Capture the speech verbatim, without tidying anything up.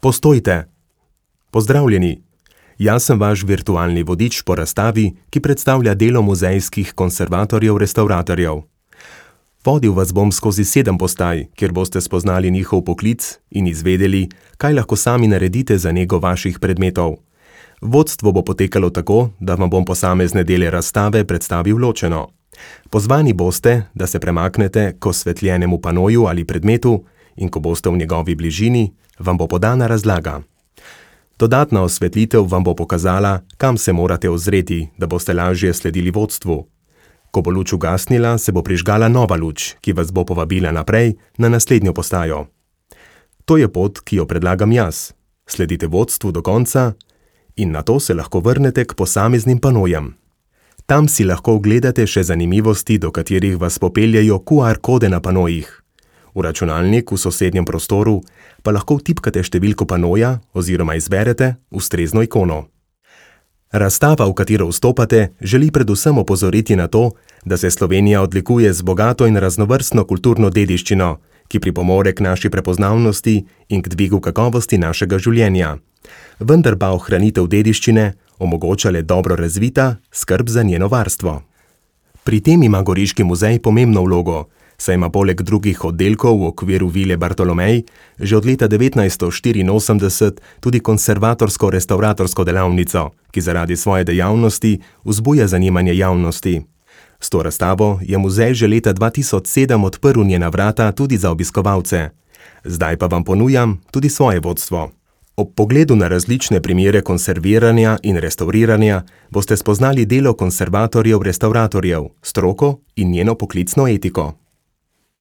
Postojte! Pozdravljeni! Jaz sem vaš virtualni vodič po razstavi, ki predstavlja delo muzejskih konservatorjev-restavratorjev. Vodil vas bom skozi sedem postaj, kjer boste spoznali njihov poklic in izvedeli, kaj lahko sami naredite za nego vaših predmetov. Vodstvo bo potekalo tako, da vam bom posamezne dele razstave predstavil ločeno. Pozvani boste, da se premaknete k osvetljenemu panoju ali predmetu in ko boste v njegovi bližini, vam bo podana razlaga. Dodatna osvetlitev vam bo pokazala, kam se morate ozreti, da boste lažje sledili vodstvu. Ko bo luč ugasnila, se bo prižgala nova luč, ki vas bo povabila naprej na naslednjo postajo. To je pot, ki jo predlagam jaz. Sledite vodstvu do konca in nato se lahko vrnete k posameznim panojem. Tam si lahko ogledate še zanimivosti, do katerih vas popeljejo Q R kode na panojih. V računalnik v sosednjem prostoru pa lahko vtipkate številko panoja oziroma izberete ustrezno ikono. Razstava, v katero vstopate, želi predvsem opozoriti na to, da se Slovenija odlikuje z bogato in raznovrstno kulturno dediščino, ki pripomore k naši prepoznavnosti in k dvigu kakovosti našega življenja. Vendar pa ohranitev dediščine omogoča le dobro razvita skrb za njeno varstvo. Pri tem ima Goriški muzej pomembno vlogo, saj ima poleg drugih oddelkov v okviru Vile Bartolomej že od leta devetnajststo štiriinosemdeset tudi konservatorsko-restavratorsko delavnico, ki zaradi svoje dejavnosti vzbuja zanimanje javnosti. S to razstavo je muzej že leta dva tisoč sedem odprl njena vrata tudi za obiskovalce. Zdaj pa vam ponujam tudi svoje vodstvo. Ob pogledu na različne primere konserviranja in restavriranja boste spoznali delo konservatorjev-restavratorjev, stroko in njeno poklicno etiko.